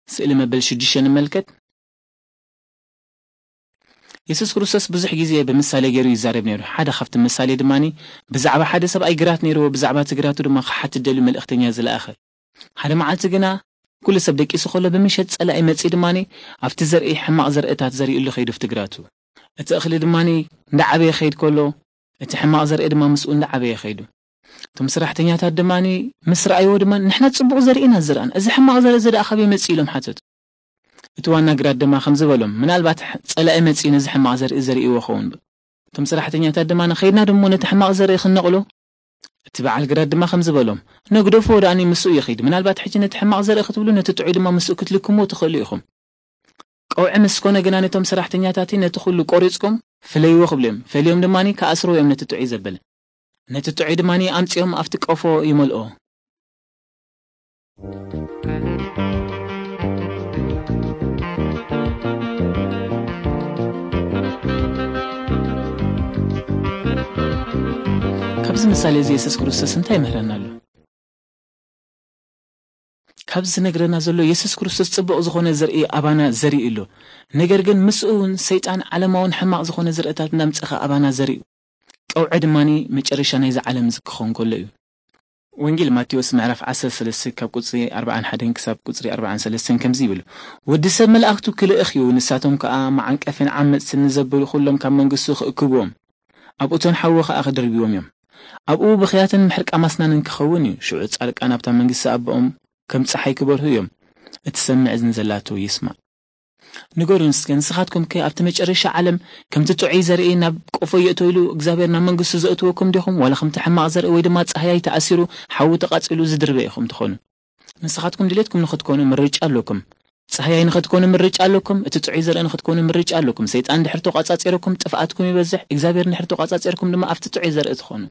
ስእሊ መበል ሽዱሽተ ንመልከት። የሱስ ክርስቶስ ብዙሕ ግዜ ብምሳሌ ገይሩ ይዛረብ ነይሩ። ሓደ ካብቲ ምሳሌ ድማኒ ብዛዕባ ሓደ ሰብኣይ ግራት ነይርዎ፣ ብዛዕባ እቲ ግራቱ ድማ ክሓትት ደልዩ መልእኽተኛ ዝለኣኸ። ሓደ መዓልቲ ግና ኩሉ ሰብ ደቂሱ ከሎ ብምሸት ጸላኢ መጺኡ ድማኒ ኣብቲ ዘርኢ ሕማቕ ዘርእታት ዘሪኡሉ ከይዱ ኣብቲ ግራቱ። እቲ እኽሊ ድማኒ እንዳዓበየ ከይድ ከሎ እቲ ሕማቕ ዘርኢ ድማ ምስኡ እንዳዓበየ ከይዱ። እቶም ሰራሕተኛታት ድማኒ ምስ ረኣይዎ ድማ ንሕና ጽቡቕ ዘርኢ ኢና ዝዘራእና፣ እዚ ሕማቕ ዘርኢ እዚ ደኣ ካበይ መጺኡ ኢሎም ሓተቱ። እቲ ዋና ግራት ድማ ከምዚ በሎም፣ ምናልባት ጸላኢ መጺኡ ነዚ ሕማቕ ዘርኢ ዘሪእዎ ኸውን። እቶም ሰራሕተኛታት ድማ ንኸይድና ድሞ ነቲ ሕማቕ ዘርኢ ክንነቕሎ። እቲ በዓል ግራት ድማ ከምዚ በሎም፣ ነግደፍዎ ደኣኒ ምስኡ ይኺድ፣ ምናልባት ሕጂ ነቲ ሕማቕ ዘርኢ ክትብሉ ነቲ ጥዑይ ድማ ምስኡ ክትልክምዎ ትኽእሉ ኢኹም። ቀውዒ ምስ ኮነ ግና ነቶም ሰራሕተኛታት ነቲ ኩሉ ቆሪጽኩም ፍለይዎ ክብሉ እዮም። ፈልዮም ድማ ከኣስርዎ እዮም ነቲ ጥዑይ ዘበለ። ነቲ ጥዑይ ድማ ኣምጺኦም ኣብቲ ቀፎ ይመልኦ። ካብዚ ምሳሌ እዚ የሱስ ክርስቶስ እንታይ ይምህረና ኣሎ? ካብዚ ዝነግረና ዘሎ የሱስ ክርስቶስ ጽቡቕ ዝኾነ ዘርኢ ኣባና ዘርኢ ኣሎ። ነገር ግን ምስኡ እውን ሰይጣን ዓለማውን ሕማቕ ዝኾነ ዘርእታት እናምጸኸ ኣባና ዘርኢ እዩ። ቀውዒ ድማኒ መጨረሻ ናይዚ ዓለም እዚ ክኸውን ከሎ እዩ። ወንጌል ማቴዎስ ምዕራፍ ዓሰርተ ሰለስተ ካብ ቁጽሪ ኣርባዓን ሓደን ክሳብ ቁጽሪ ኣርባዓን ሰለስተን ከምዚ ይብል፣ "ወዲ ሰብ መላእኽቱ ክልእኽ እዩ፣ ንሳቶም ከኣ መዓንቀፍን ዓመጽትን ንዘብሉ ኩሎም ካብ መንግስቱ ክእክብዎም፣ ኣብ እቶን ሓዊ ከኣ ክድርብዎም እዮም። ኣብኡ ብኽያትን ምሕርቃ ማስናንን ክኸውን እዩ፣ ሽዑ ጻድቃን ኣብታ መንግስቲ ኣቦኦም ከም ጸሓይ ክበርሁ እዮም። እቲ ሰምዕ እዝኒ ዘላቶ ይስማዕ።" ንገሩን እስከ፣ ንስኻትኩም ከ ኣብቲ መጨረሻ ዓለም ከምቲ ጥዑይ ዘርኢ ናብ ቆፎ የእቶ ኢሉ እግዚኣብሔር ናብ መንግስቱ ዘእትወኩም ዲኹም? ዋላ ከምቲ ሕማቕ ዘርኢ ወይ ድማ ጻህያይ ተኣሲሩ ሓዊ ተቓጺሉ ዝድርበ ኢኹም ትኾኑ? ንስኻትኩም ድሌትኩም ንኽትኮኑ ምርጫ ኣለኩም። ጻህያይ ንኽትኮኑ ምርጫ ኣለኩም። እቲ ጥዑይ ዘርኢ ንኽትኮኑ ምርጫ ኣለኩም። ሰይጣን ድሕር ተቋጻጺርኩም ጥፍኣትኩም ይበዝሕ። እግዚኣብሔር ድሕር ተቋጻጺርኩም ድማ ኣብቲ ጥዑይ ዘርኢ ትኾኑ።